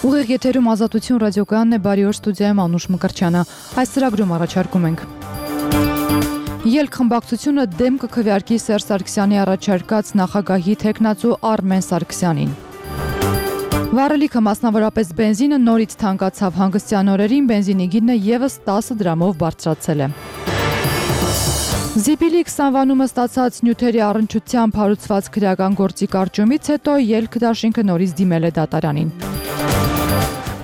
Ուղիղ եթերում Ազատություն ռադիոկայանն է, բարի օր, ստուդիայում Անուշ Մկրտչյանը։ Այս ծրագրում առաջարկում ենք. Ելք խմբակցությունը դեմ կքվեարկի Սերժ Սարգսյանի առաջարկած նախագահի թեկնածու Արմեն Սարգսյանին։ Վառելիքը, մասնավորապես բենզինը, նորից թանկացավ հանգստյան օրերին, բենզինի գինը ևս 10 դրամով բարձրացել է։ Զիպիլի 20 վանումը ստացած նյութերի առնչությամբ հարուցված քրեական գործի կարճումից հետո ելք դաշինքը նորից դիմել է դատարանին։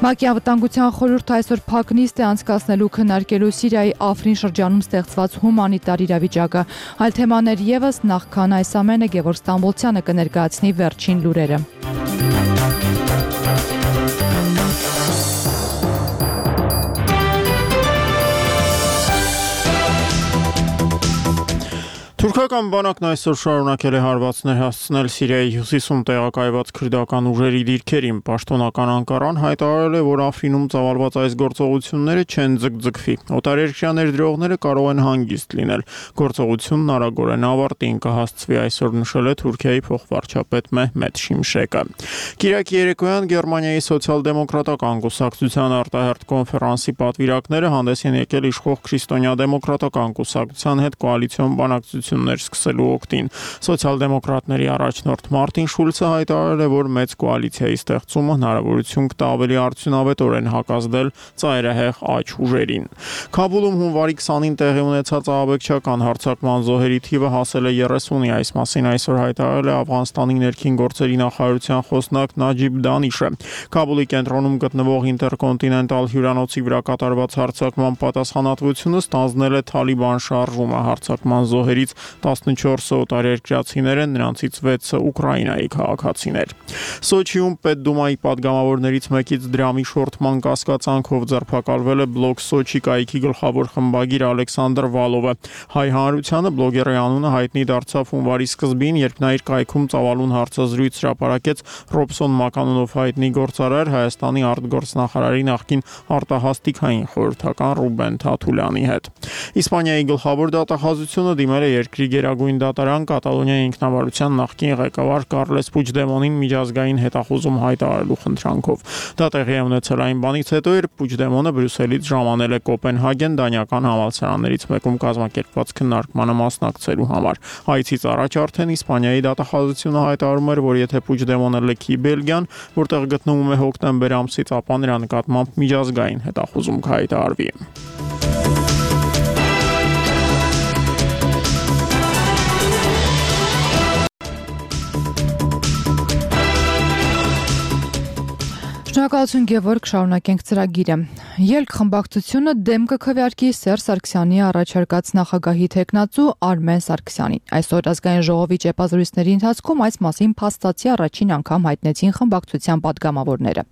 ՄԱԿ-ի անվտանգության խորհուրդը այսօր փակ նիստ է անցկացնելու քննարկելու Սիրիայի Աֆրին շրջանում ստեղծված հումանիտար իրավիճակը։ Այլ թեմաներ ևս, նախքան այս ամենը Գևորգ Ստամբոլցյանը կներկայացնի վերջին լուրերը։ Թուրքական բանակն այսօր շարունակել է հարվածներ հասցնել Սիրիայի հյուսիսում տեղակայված քրդական ուժերի դիրքերին։ Պաշտոնական Անկարան հայտարարել է, որ Աֆրինում ծավալված այս գործողությունները չեն ձգձգվի։ Օտարերկրյա ներդրողները կարող են հանգիստ լինել։ Գործողությունն արագորեն ավարտին կհասցվի, այսօր նշել է Թուրքիայի փոխվարչապետ Մեհմեդ Շիմշեկը։ Կիրակի երեկոյան Գերմանիայի սոցիալ-դեմոկրատական կուսակցության արտահերթ կոնֆերանսի պատվիրակները հանդես են եկել իշխող քրիստոնյա-դեմոկրատական կուսակցության հետ կոալիցիոն բանակցություններ սկսելու օգտին։ Սոցիալ-դեմոկրատների առաջնորդ Մարտին Շուլցը հայտարարել է, որ մեծ կոալիցիայի ստեղծումը հնարավորություն կտա ավելի արդյունավետորեն հակազդել ծայրահեղ աջ ուժերին։ Քաբուլում հունվարի 20-ին տեղի ունեցած ահաբեկչական հարձակման զոհերի թիվը հասել է 30-ի, այս մասին այսօր հայտարարել է Աֆղանստանի ներքին գործերի նախարարության խոսնակ Նաջիբ Դանիշը։ Քաբուլի կենտրոնում գտնվող ինտերկոնտինենտալ հյուրանոցի վրա կատարված հարձակման պատասխանատվությունը ստանձնել է Թալիբան շարժումը։ Հարձակման զոհերից 14-ը օտարերկրացիներ են, նրանցից 6-ը Ուկրաինայի քաղաքացիներ։ Սոչիում Պետդումայի падգամավորներից մեկից դրամի շորթման կասկածանքով ձերբակալվել է Բլոկ Սոչի կայքի գլխավոր խմբագիր Ալեքսանդր Վալովը։ Հայ հանրությանը բլոգերի անունը հայտնի դարձավ հունվարի սկզբին, երբ նա իր կայքում ծավալուն հարցազրույց հրապարակեց Ռոբսոն Մականունով հայտնի գործարար Հայաստանի արտգործնախարարի նախկին արտահասթիկային խորհրդական Ռուբեն Թաթուլյանի հետ։ Իսպանիայի գլխավոր դատախազությունը դիմել է երկրի գերագույն դատարան Կատալոնիայի ինքնավարության նախկին ղեկավար Կարլես Պուչդեմոնին միջազգային հետախուզում հայտարարելու խնդրանքով։ Դա տեղի է ունեցել այն բանից հետո, երբ Պուչդեմոնը Բրյուսելից ժամանել է Կոպենհագեն դանիական համալսարաններից մեկում կազմակերպված քննարկմանը մասնակցելու համար։ Այցից առաջ արդեն Իսպանիայի դատախազությունը հայտարարում էր, որ եթե Պուչդեմոնը լքի Բելգիան, որտեղ գտնվում է հոկտեմբեր ամսից, ապա նրա նկատմամբ միջազգային հետախուզում կհայտարարվի։ Շնորհակալություն Գևորգ, շարունակենք ծրագիրը։ Ելք խմբակցությունը դեմ կքվեարկի Սերժ Սարգսյանի առաջարկած նախագահի թեկնածու Արմեն Սարգսյանին։ Այսօր ազգային ժողովի ճեպազրույցների ընթացքում այս մասին փաստացի առաջին անգամ հայտնեցին խմբակցության падգամավորները։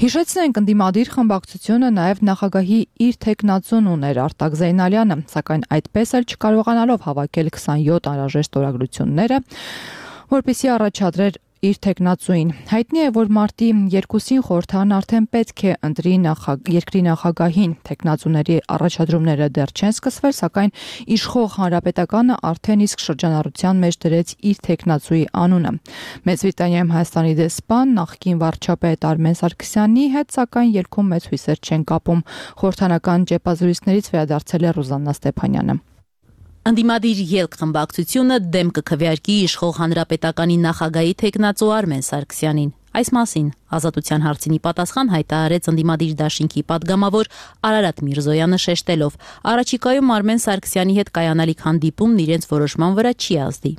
Հիշեցնենք, ընդդիմադիր խմբակցությունը նաև նախագահի իր թեկնածուն ուներ Արտակ Զեյնալյանը, սակայն այդպես էլ չկարողանալով հավաքել 27 անհրաժեշտ օրագրությունները, որպեսզի առաջադրեր իր թեկնածուին։ Հայտնի է, որ մարտի 2-ին խորհրդարան արդեն պետք է ընտրի երկրի նախագահին։ Թեկնածուների առաջադրումները դեռ չեն սկսվել, սակայն իշխող հանրապետականը արդեն իսկ շրջանառության մեջ դրեց իր թեկնածուի անունը։ Մեծ Բրիտանիայում Հայաստանի դեսպան նախկին վարչապետ Արմեն Սարգսյանի հետ, սակայն ելքում մեծ հույսեր չեն կապում։ Խորհրդարանական ճեպազրույցներից վերադարձել է Ռուզաննա Ստեփանյանը։ Ընդդիմադիր ելք խմբակցությունը դեմ կքվեարկի իշխող հանրապետականի նախագահի թեկնածու Արմեն Սարգսյանին։ Այս մասին Ազատության հարցինի պատասխան հայտարարեց ընդդիմադիր դաշինքի падգամավոր Արարատ Միրզոյանը շեշտելով. առաջիկայում Արմեն Սարգսյանի հետ կայանալիք հանդիպումն իրենց որոշման վրա չի ազդի։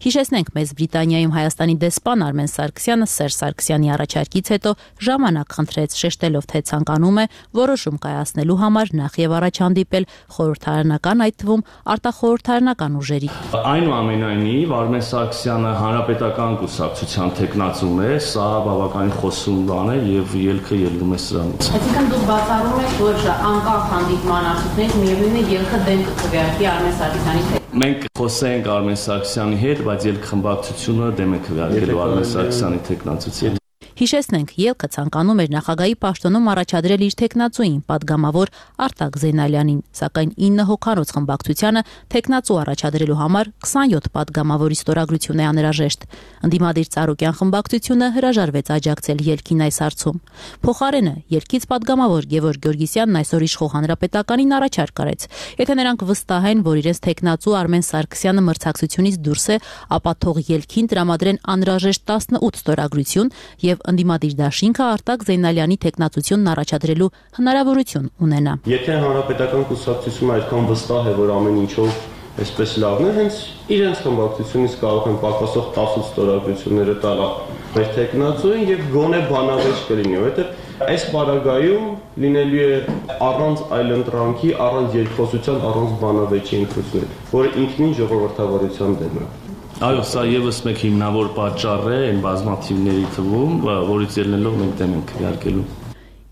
Հիշեցնենք, Մեծ Բրիտանիայում Հայաստանի դեսպան Արմեն Սարգսյանը Սերժ Սարգսյանի առաջարկից հետո ժամանակ խնդրեց, շեշտելով, թե ցանկանում է որոշում կայացնելու համար նախ եւ առաջ հանդիպել խորհրդարանական, այդ թվում արտախորհրդարանական ուժերի։ Այնուամենայնիվ Արմեն Սարգսյանը հանրապետական կուսակցության թեկնածուն է, սա բավականին խոսուն բան է եւ ելքը ելնում է սրանից։ Այսինքն դուք բացառում եք, որ անկախ հանդիպման արդյունքներից միևնույն է ելքը դեմ կքվեարկի Արմեն Սարգսյանի հետ։ Մենք խոսենք Արմեն Սարգսյանի հետ, բայց ելք խմբակցությունը դեմ է քվեարկելու Արմեն Սարգսյանի թեկնածուին։ Հիշեցնենք, ելքը ցանկանում էր նախագահի պաշտոնում առաջադրել իր թեկնածուին, падգամավոր Արտակ Զեյնալյանին, սակայն 9 հոգանոց խմբակցությանը թեկնածու առաջադրելու համար 27 падգամավորի ստորագրություն է անհրաժեշտ։ Ընդդիմադիր Ծառուկյան խմբակցությունը հրաժարվեց աջակցել ելքին այս հարցում։ Փոխարենը ելքից падգամավոր Գևորգ Գյորգիսյանն այսօր իշխող Հանրապետականին առաջարկ արեց։ Եթե նրանք վստահ են, որ իրենց թեկնածու Արմեն Սարգսյանը մրցակցությունից դուրս է, ապա թող ելքին տրամադրեն անհրաժեշտ 18 ստորագրություն եւ ընդդիմադիր դաշինքը Արտակ Զեյնալյանի թեկնածությունն առաջադրելու հնարավորություն ունենա։ Եթե Հանրապետական կուսակցությունը այդքան վստահ է, որ ամեն ինչով այսպես լավն է, հենց իրենց խմբակցությունից կարող են պակասող 18 ստորագրությունները տալ մեր թեկնածուին եւ գոնե բանավեճ կլինի, որովհետեւ այս պարագայում լինելու է առանց այլընտրանքի, առանց երկխոսության, առանց բանավեճի ընտրություններ, որը ինքնին ժողովրդավարության դեմ է։ Այո, սա եւս մեկ հիմնավոր պատճառ է այն բազմաթիվների թվում, որից ելնելով մենք դեմ ենք քվեարկելու։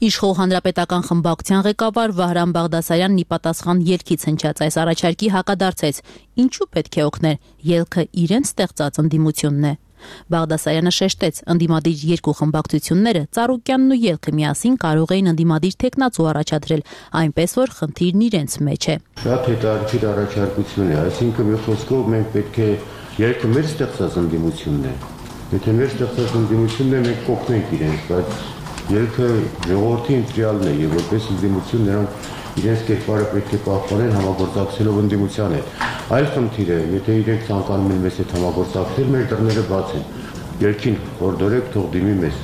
Իշխող Հանրապետական խմբակցության ղեկավար Վահրամ Բաղդասարյանն ի պատասխան ելքից հնչած այս առաջարկի հակադարձեց. ինչու պետք է օգնել, ելքը իրենց ստեղծած ընդդիմությունն է։ Բաղդասարյանը շեշտեց, ընդդիմադիր երկու խմբակցությունները Ծառուկյանն ու ելքը միասին կարող էին ընդդիմադիր թեկնածու առաջադրել, այնպես որ խնդիրն իրենց մեջ է։ Շատ հետաքրքիր առաջարկություն է, այսինքն մի խոսքով մենք պետք է ելքը մեր ստեղծած ընդդիմությունն է։ Եթե մեր ստեղծած ընդդիմությունն է, մենք կօգնենք իրենց, բայց ելքը ժողովրդի ընտրյալն է եւ որպես ընդդիմություն նրանք իրենց կերպարը պետք է պահպանեն համագործակցելով ընդդիմության հետ։ Այլ խնդիր է, եթե իրենք ցանկանում են մեզ հետ համագործակցել, մեր դռները բաց են։ Ելքին խորդորեք, թող դիմի մեզ։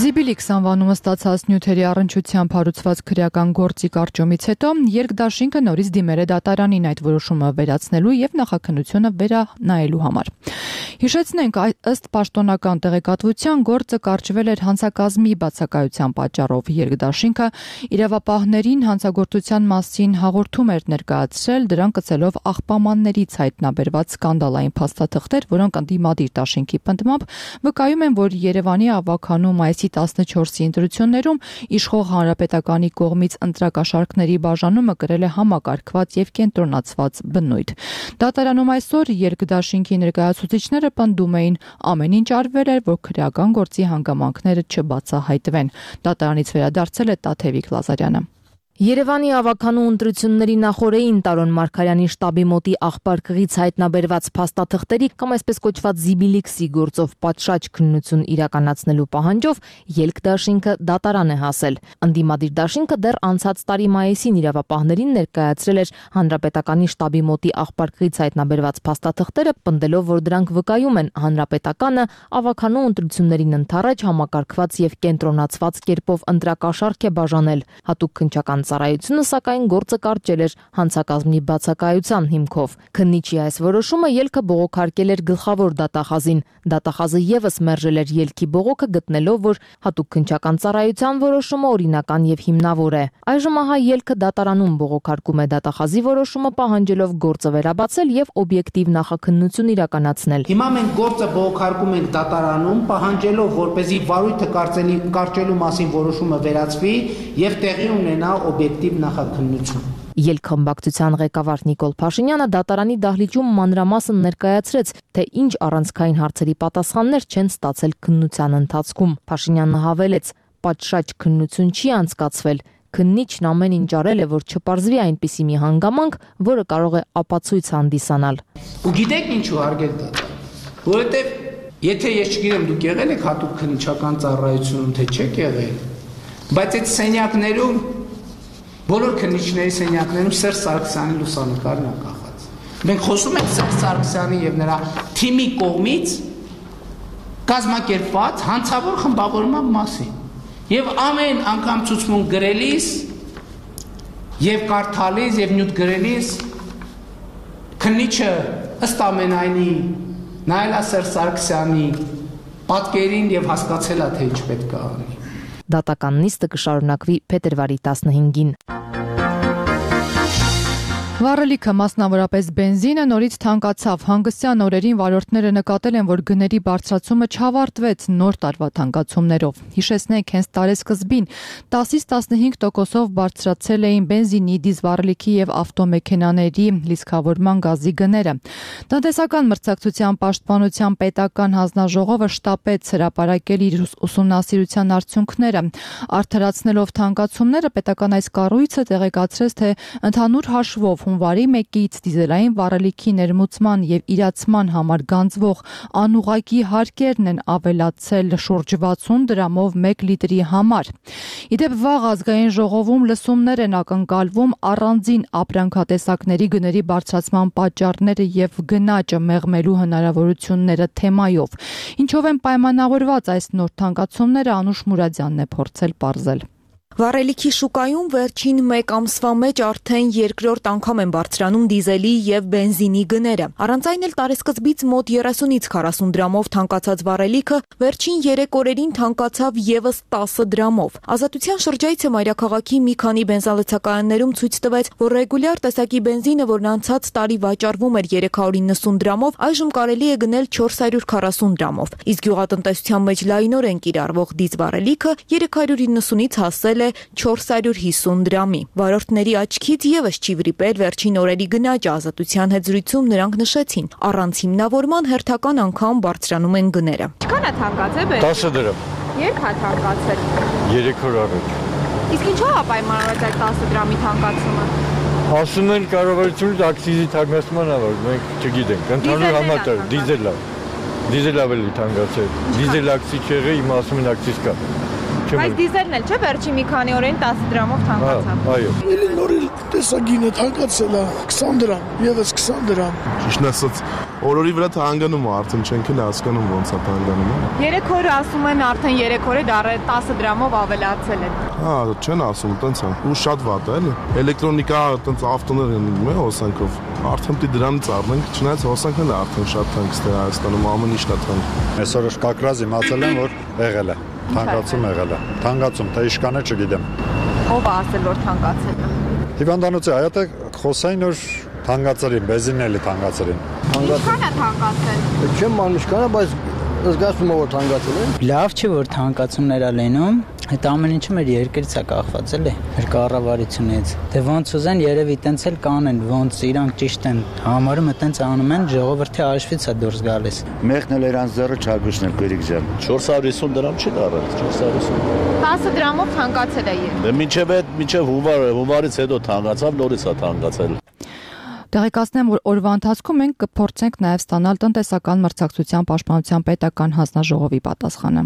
Զիբիլիքս անվանումը ստացած նյութերի առնչությամբ հարուցված քրեական գործի կարճոմից հետո երկդաշինքը նորից դիմել է դատարանին այդ որոշումը վերացնելու եւ նախաքննությունը վերանայելու համար։ Հիշեցնենք, ըստ պաշտոնական տեղեկատվության գործը կարճվել էր հանցակազմի բացակայության պատճառով։ Երկդաշինքը իրավապահներին հանցագործության մասին հաղորդում էր ներկայացրել, դրան կցելով աղբամաններից հայտնաբերված սկանդալային փաստաթղթեր, որոնք ընդդիմադիր դաշինքի պնդմամբ վկայում են, որ Երևանի ավականու մայիսի 14-ի ընտրություններում իշխող Հանրապետականի կողմից ընտրակաշառքների բաժանումը կրել է համակարգված եւ կենտրոնացված բնույթ։ Դատարանում այսօր երկդաշինքի ներկայացուցիչները պնդում էին, ամեն ինչ արվել էր, որ քրեական գործի հանգամանքները չբացահայտվեն։ Դատարանից վերադարձել է Տաթևիկ Լազարյանը։ Երևանի ավականու ընտրությունների նախօրեին Տարոն Մարգարյանի շտաբի մոտի աղբարկղից հայտնաբերված փաստաթղթերի կամ այսպես կոչված Զիբիլիքսի գործով պատշաճ քննություն իրականացնելու պահանջով ելքդաշինքը դատարան է հասել։ Ընդդիմադիր դաշինքը դեռ անցած տարի մայիսին իրավապահներին ներկայացրել էր Հանրապետականի շտաբի մոտի աղբարկղից հայտնաբերված փաստաթղթերը, պնդելով, որ դրանք վկայում են Հանրապետականը ավականու ընտրություններին ընդառաջ համակարգված եւ կենտրոնացված կերպով ընտրակաշառք է բաժանել։ Հատուկ քննչական ծառայությունը սակայն գործը կարճել էր հանցակազմի բացակայության հիմքով։ Քննիչի այս որոշումը ելքը բողոքարկել էր գլխավոր դատախազին։ Դատախազը եւս մերժել էր ելքի բողոքը, գտնելով, որ հատուկ քննչական ծառայության որոշումը օրինական եւ հիմնավոր է։ Այժմ ահա ելքը դատարանում բողոքարկում է դատախազի որոշումը, պահանջելով գործը վերաբացել եւ օբյեկտիվ նախաքննություն իրականացնել։ Հիմա մենք գործը բողոքարկում ենք դատարանում, պահանջելով, որպեսզի վարույթը կարճելու մասին որոշումը վերացվի եւ տեղի ունենա օբյեկտիվ նախաքննություն։ Ելքխմբակցության ղեկավար Նիկոլ Փաշինյանը դատարանի դահլիճում մանրամասն ներկայացրեց, թե ինչ առանցքային հարցերի պատասխաններ չեն ստացել քննության ընթացքում։ Փաշինյանը հավելեց, պատշաճ քննություն չի անցկացվել։ Քննիչն ամեն ինչ արել է, որ չպարզվի այնպիսի մի հանգամանք, որը կարող է ապացույց հանդիսանալ։ Ու գիտեք ինչու հարգել դատարան, որովհետև եթե ես չգիտեմ դուք եղել եք հատուկ քննչական ծառայությունում, թե չեք եղել, բայց այդ սենյակներում բոլոր քննիչների սենյակներում Սերժ Սարգսյանի լուսանկարն է կախած։ Մենք խոսում ենք Սերժ Սարգսյանի եւ նրա թիմի կողմից կազմակերպված հանցավոր խմբավորման մասին։ Եվ ամեն անգամ ցուցմունք գրելիս եւ կարդալիս եւ նյութ գրելիս քննիչը ըստ ամենայնի նայելա Սերժ Սարգսյանի պատկերին եւ հասկացելա թե ինչ պետք է անի։ Դատական նիստը կշարունակվի փետրվարի 15-ին։ Վառելիքը, մասնավորապես բենզինը, նորից թանկացավ։ Հանգստյան օրերին վարորդները նկատել են, որ գների բարձրացումը չավարտվեց նոր տարվա թանկացումներով։ Հիշեցնենք, հենց տարեսկզբին 10-ից 15%-ով բարձրացել էին բենզինի, դիզվառելիքի եւ ավտոմեքենաների լիցքավորման գազի գները։ Տնտեսական մրցակցության պաշտպանության պետական հանձնաժողովը շտապեց հրապարակել իր ուսումնասիրության արդյունքները։ Արդարացնելով թանկացումները, պետական այս կառույցը տեղեկացրեց, թե ընդհանուր հաշվով հունվարի 1-ից դիզելային վառելիքի ներմուծման եւ իրացման համար գանձվող անուղղակի հարկերն են ավելացել շուրջ 60 դրամով 1 լիտրի համար։ Իդեպ վաղ ազգային ժողովում լսումներ են ակնկալվում առանձին ապրանքատեսակների գների բարձրացման պատճառները եւ գնաճը մեղմելու հնարավորությունները թեմայով։ Ինչով են պայմանավորված այս նոր թանկացումները, Անուշ Մուրադյանն է փորձել պարզել։ Վառելիքի շուկայում վերջին 1 ամսվա մեջ արդեն երկրորդ անգամ են բարձրանում դիզելի եւ բենզինի գները։ Առանց այն էլ տարեսկզբից մոտ 30-ից 40 դրամով թանկացած վառելիքը վերջին 3 օրերին թանկացավ եւս 10 դրամով։ Ազատության շրջայցը մայրաքաղաքի մի քանի բենզալցակայաններում ցույց տվեց, որ ռեգուլյար տեսակի բենզինը, որն անցած տարի վաճառվում էր 390 դրամով, այժմ կարելի է գնել 440 դրամով։ Իսկ գյուղատնտեսության մեջ լայնորեն կիրառվող դիզվառելիքը 390-ից հասել 450 դրամի։ Վարորդների աչքից եւս չի վրիպել վերջին օրերի գնաճը։ Ազատության հետ զրույցում նրանք նշեցին, առանց հիմնավորման հերթական անգամ բարձրանում են գները։ Ինչքան է թանկացել բեր։ 10 դրամ։ Երբ է թանկացել։ 3 օր առաջ։ Իսկ ինչու է պայմանավորված այդ 10 դրամի թանկացումը։ Ասում են կառավարությունից ակցիզի թանկացման ա, որ մենք չգիտենք։ Ընդհանուր համատեղ դիզել ավելի թանկացել։ Դիզել ակցիզ չեղի, իմ ասում են ակցիզ կա։ Բայց դիզելն էլ չէ, վերջի մի քանի օրերին 10 դրամով թանկացավ։ Այո։ Էլի նորից տեսագինը թանկացել է 20 դրամ, եւս 20 դրամ։ Ճիշտն ասած, օրորի վրա թանկանում է, արդեն չենք էլ հասկանում ոնց է թանկանում։ 3 օրը ասում են արդեն 3 օրը դառը 10 դրամով ավելացել են։ Հա, չեն ասում, տենց է։ Ու շատ վատ է, էլի։ Էլեկտրոնիկա, տենց ավտոներ են իմ հոսանքով։ Արդեն պիտի դրանից առնենք, չնայած հոսանքն է արդեն շատ թանկ ստե Հայաստանում, ամեն ինչն է թանկ։ Այսօր կակրազ իմացել եմ, որ եղել է։ Թանկացում եղել է։ Թանկացում, թե իշքան է չգիտեմ։ Ով է ասել, որ թանկացել է։ Հիվանդանոցի հայատը խոսային, որ թանկացել են, բենզինն էլի թանկացել են։ Ինչքան է թանկացել։ Չեմ անում ինչքան է, բայց զգացում եմ, որ թանկացել է։ Լավ չէ, որ թանկացումներ ա լինում։ Այդ ամեն ինչը մեր երկրից է կախված, էլի, մեր կառավարությունից։ Դե ոնց ուզեն, երևի տենց էլ կանեն, ոնց իրանք ճիշտ են համարում, տենց անում են, ժողովրդի հաշվից է դուրս գալիս։ Մեղն էլ իրանց ձեռը չագուշն էլ գերիկ ջան։ 450 դրամ չի դառել, 450։ 10 դրամով թանկացել է երբ։ Դե մինչև հունվարից հետո թանկացավ, նորից է թանկացել։ Տեղեկացնեմ, որ օրվա ընթացքում մենք կփորձենք նաև ստանալ տնտեսական մրցակցության պաշտպանության պետական հանձնաժողովի պատասխանը։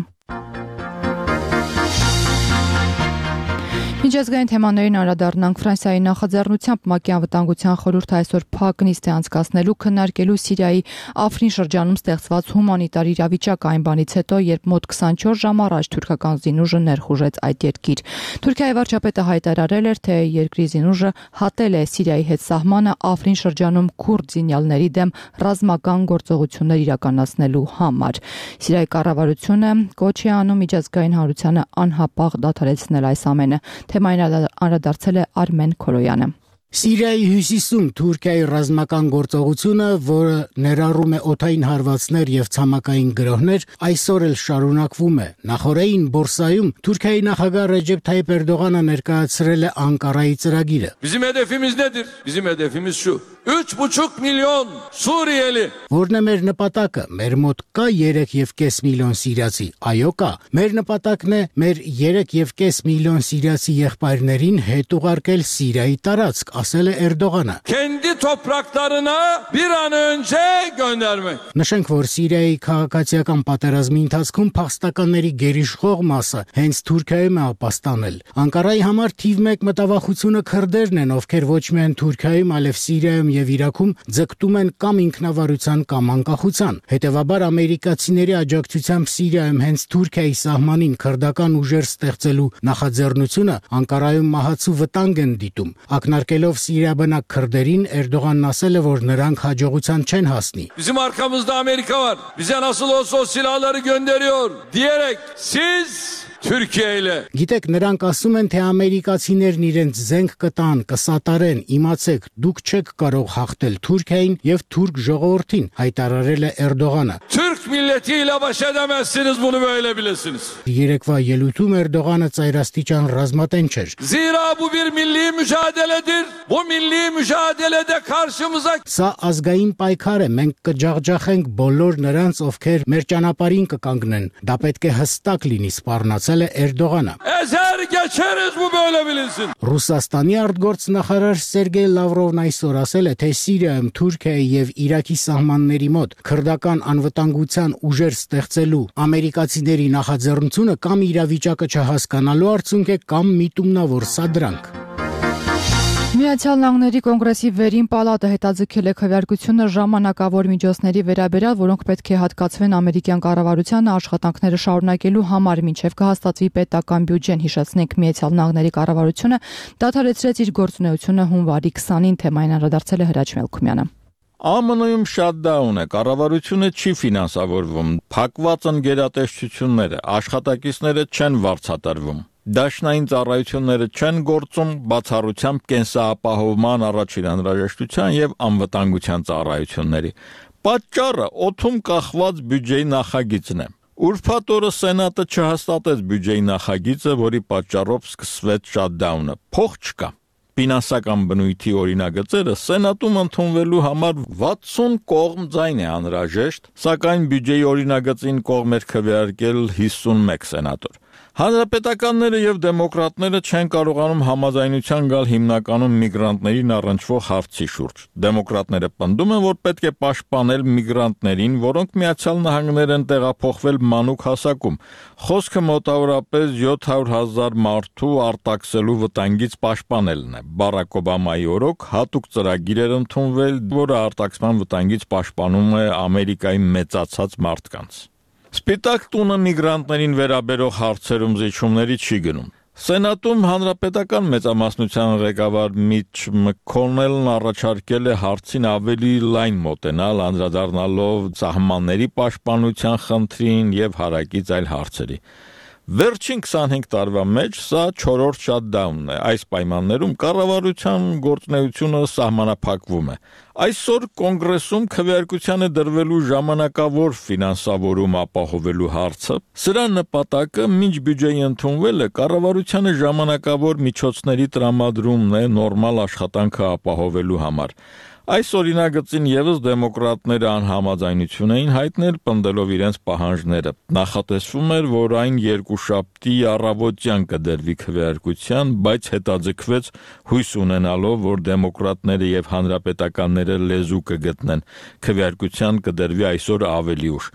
Միջազգային թեմաներին անդրադառնանք Ֆրանսիայի նախաձեռնությամբ ՄԱԿ-ի անվտանգության խորհուրդը այսօր փակ նիստ է անցկացնելու քննարկելու Սիրիայի Աֆրին շրջանում ստեղծված հումանիտար իրավիճակը այն բանից հետո, երբ մոտ 24 ժամ առաջ թուրքական զինուժը ներխուժեց այդ երկիր։ Թուրքիայի վարչապետը հայտարարել էր, թե երկրի զինուժը հատել է Սիրիայի հետ սահմանը Աֆրին շրջանում քուրդ զինյալների դեմ ռազմական գործողություններ իրականացնելու համար։ Սիրիայի կառավարությունը կոչ է անում միջազգային հանրությանը անհապաղ դադարեցնել այս ամենը։ Թեմային անդրադարձել է Արմեն Քորոյանը։ Սիրիայի հյուսիսում Թուրքիայի ռազմական գործողությունը, որը ներառում է օդային հարվածներ եւ ցամաքային գրոհներ, այսօր էլ շարունակվում է։ Նախորդին Բորսայում Թուրքիայի նախագահ Ռեջեփ Թայիփ Էրդողանը ներկայացրել է Անկարայի ծրագիրը։ Bizim hedefimiz nedir? Bizim hedefimiz şu. 3,5 milyon Suriyeli. Որն է մեր նպատակը։ Մեր մոտ կա 3.5 միլիոն սիրիացի։ Այո, կա։ Մեր նպատակն է մեր 3.5 միլիոն սիրիացի եղբայրներին հետ ուղարկել Սիրիայի տարածք, ասել է Էրդողանը։ Kendi topraklarına bir an önce göndermek. Նշենք, որ Սիրիայի քաղաքացիական պատերազմի ընթացքում փախստականների գերիշխող մասը հենց Թուրքիայում է ապաստանել։ Անկարայի համար թիվ 1 մտավախությունը քրդերն են, ովքեր ոչ միայն Թուրքիայում, այլև Սիրիայում եւ Իրաքում ձգտում են կամ ինքնավարության կամ անկախության։ Հետևաբար ամերիկացիների աջակցությամբ Սիրիայում հենց Թուրքիայի սահմանին քրդական ուժեր ստեղծելու նախաձեռնությունը Անկարայում մահացու վտանգ են դիտում։ Ակնարկելով Սիրիաբնակ քրդերին, Էրդողանն ասել է, որ նրանք հաջողության չեն հասնի։ Bizim arkamızda Amerika var. Bize nasıl olsa o silahları gönderiyor diyerek siz Türkiye ile. Գիտեք, նրանք ասում են, թե ամերիկացիներն իրենց zենք կտան, կսատարեն, իմացեք, դուք չեք կարող հաղթել Թուրքիային եւ թուրք ժողովրդին, հայտարարել է Էրդողանը։ Türk milletiyle baş edemezsiniz, bunu böyle bilesiniz. Երեկվա ելույթում Էրդողանը ծայրաստիճան ռազմատեն չէր։ Zira bu bir milli mücadeledir. Bu milli mücadelede karşımıza Սա ազգային պայքար է, մենք կջախջախենք բոլոր նրանց, ովքեր մեր ճանապարհին կկանգնեն։ Դա պետք է հստակ լինի, սպառնացել է Էրդողանը։ ezer geçeriz, bu böyle bilinsin. Ռուսաստանի արտգործնախարար Սերգեյ Լավրովն այսօր ասել է, թե Սիրիայում Թուրքիայի եւ Իրաքի սահմանների մոտ քրդական անվտանգության ուժեր ստեղծելու ամերիկացիների նախաձեռնությունը կամ իրավիճակը չհասկանալու արդյունք է կամ միտումնավոր սադրանք։ Միացյալ Նահանգների կոնգրեսի վերին պալատը հետաձգել է քվեարկությունը ժամանակավոր միջոցների վերաբերյալ, որոնք պետք է հատկացվեն ամերիկյան կառավարությանը աշխատանքները շարունակելու համար, մինչև կհաստատվի պետական բյուջեն։ Հիշեցնենք, Միացյալ Նահանգների կառավարությունը դադարեցրեց իր գործունեությունը հունվարի 20-ին, թեմային անդրադարձել է Հրաչ Մելքումյանը։ ԱՄՆ-ում շատդաուն է, կառավարությունը չի ֆինանսավորվում, փակված են գերատեսչությունները, աշխատակիցները չեն վարձատրվում։ Դաշնային ծառայությունները չեն գործում, բացառությամբ կենսապահովման առաջին անհրաժեշտության եւ անվտանգության ծառայությունների։ Պատճառը օդում կախված բյուջեի նախագիծն է։ Ուրբաթ օրը Սենատը չհաստատեց բյուջեի նախագիծը, որի պատճառով սկսվեց շատդաունը։ Փող չկա։ Ֆինանսական բնույթի օրինագծերը Սենատում ընդունվելու համար 60 կողմ ձայն է անհրաժեշտ, սակայն բյուջեի օրինագծին կողմ էր քվեարկել 51 սենատոր։ Հանրապետականները եւ դեմոկրատները չեն կարողանում համաձայնության գալ հիմնականում միգրանտներին առնչվող հարցի շուրջ։ Դեմոկրատները պնդում են, որ պետք է պաշտպանել միգրանտներին, որոնք Միացյալ Նահանգներ են տեղափոխվել մանուկ հասակում։ Խոսքը մոտավորապես 700,000 մարդու արտաքսելու վտանգից պաշտպանելն է։ Բարակ Օբամայի օրոք հատուկ ծրագիր էր ընդունվել, որը արտաքսման վտանգից պաշտպանում է Ամերիկայի մեծացած մարդկանց։ Սպիտակ տունը միգրանտներին վերաբերող հարցերում զիջումների չի գնում։ Սենատում հանրապետական մեծամասնության ղեկավար Միչ Մքոնելն առաջարկել է հարցին ավելի լայն մոտենալ, անդրադառնալով սահմանների պաշտպանության խնդրին եւ հարակից այլ հարցերի։ Վերջին 25 տարվա մեջ սա 4-րդ շատդաունն է։ Այս պայմաններում կառավարության գործունեությունը սահմանափակվում է։ Այսօր կոնգրեսում քվեարկության է դրվելու ժամանակավոր ֆինանսավորում ապահովելու հարցը։ Սրա նպատակը մինչ բյուջեի ընդունվելը կառավարությանը ժամանակավոր միջոցների տրամադրումն է նորմալ աշխատանքը ապահովելու համար։ Այս օրինագծին եւս դեմոկրատները անհամաձայնություն էին հայտնել, պնդելով իրենց պահանջները։ Նախատեսվում էր, որ այն երկուշաբթի առավոտյան կդրվի քվեարկության, բայց հետաձգվեց հույս ունենալով, որ դեմոկրատները եւ հանրապետականները լեզու կգտնեն։ Քվեարկության կդրվի այսօր ավելի ուշ։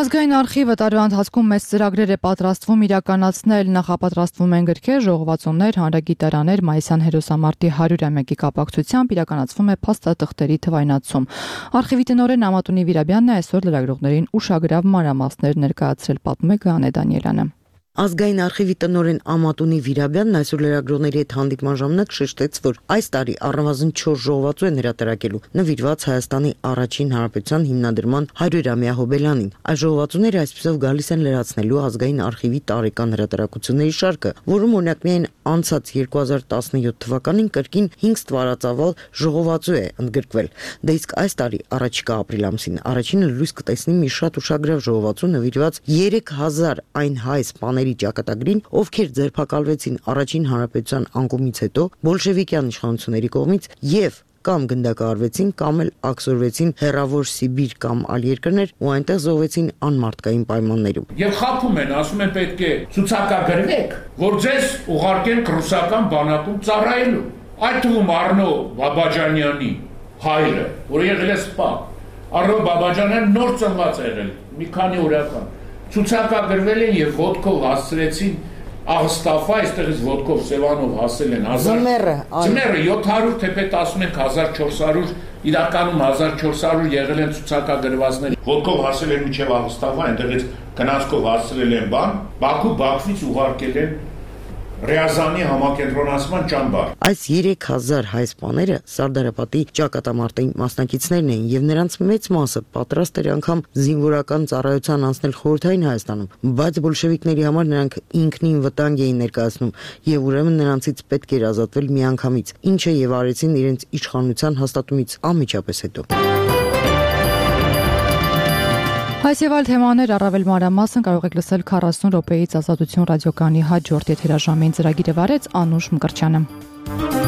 Ազգային արխիվը տարվա ընթացքում մեծ ծրագրեր է պատրաստվում իրականացնել, նախապատրաստվում են գրքեր, ժողովածուներ, հանրագիտարաներ, մայիսյան հերոսամարտի 100-ամյակի կապակցությամբ իրականացվում է փաստաթղթերի թվայնացում։ Արխիվի տնօրեն Ամատունի Վիրաբյանն այսօր լրագրողներին ուշագրավ մանրամասներ ներկայացրել, պատմում է Գանե Դանիելյանը։ Ազգային արխիվի տնօրեն Ամատունի Վիրաբյանն այսօր լրագրողների հետ հանդիպման ժամանակ շեշտեց, որ այս տարի առնվազն 4 ժողովածու են հրատարակելու, նվիրված Հայաստանի առաջին հանրապետության հիմնադրման 100-ամյա հոբելյանին։ Այս ժողովածուները այսպիսով գալիս են լրացնելու ազգային արխիվի տարեկան հրատարակությունների շարքը, որում օրինակ միայն անցած 2017 թվականին կրկին 5 ստվարածավալ ժողովածու է ընդգրկվել։ Դե իսկ այս տարի առաջիկա ապրիլ ամսին առաջինը լույս կտեսնի մի շատ ուշագրավ ժողովածու նվիրված 3000 այն հայ սպաների ճակատագրին, ովքեր ձերբակալվեցին առաջին հանրապետության անկումից հետո բոլշևիկյան իշխանությունների կողմից եւ կամ գնդակահարվեցին կամ էլ աքսորվեցին հեռավոր Սիբիր կամ այլ երկրներ ու այնտեղ զոհվեցին անմարդկային պայմաններում։ Եվ խափում են, ասում են պետք է ցուցակագրվեք, որ ձեզ ուղարկեն ռուսական բանակում ծառայելու։ Այդ թվում Արնո Բաբաջանյանի հայրը, որ եղել է սպա, Արնո Բաբաջանյանը նոր ծնված է եղել, մի քանի օրական, ցուցակագրվել են եւ ոտքով հասցրեցին Աղստաֆա, այստեղից ոտքով Սևանով հասել են 700, թեպետ ասում ենք 1400, իրականում 1400 եղել են ցուցակագրվածներ։ Ոտքով հասել են մինչև Աղստաֆա, այնտեղից գնացքով հասցրել են բան, Բաքու Բաքվից ուղարկել են Ռեազանի համակենտրոնացման ճամբար։ Այս 3000 հայ սպաները Սարդարապետի ճակատամարտի մասնակիցներն էին եւ նրանց մեծ մասը պատրաստ էր անգամ զինվորական ծառայության անցնել Խորհրդային Հայաստանում, բայց բոլշևիկների համար նրանք ինքնին վտանգ էին ներկայացնում եւ ուրեմն նրանցից պետք էր ազատվել միանգամից, ինչը եւ արեցին իրենց իշխանության հաստատումից անմիջապես հետո։ Այս եւ այլ թեմաներ առավել մանրամասն կարող եք լսել 40 րոպեից Ազատություն ռադիոկայանի հաջորդ եթերաժամին ծրագիրը վարեց Անուշ Մկրտչյանը։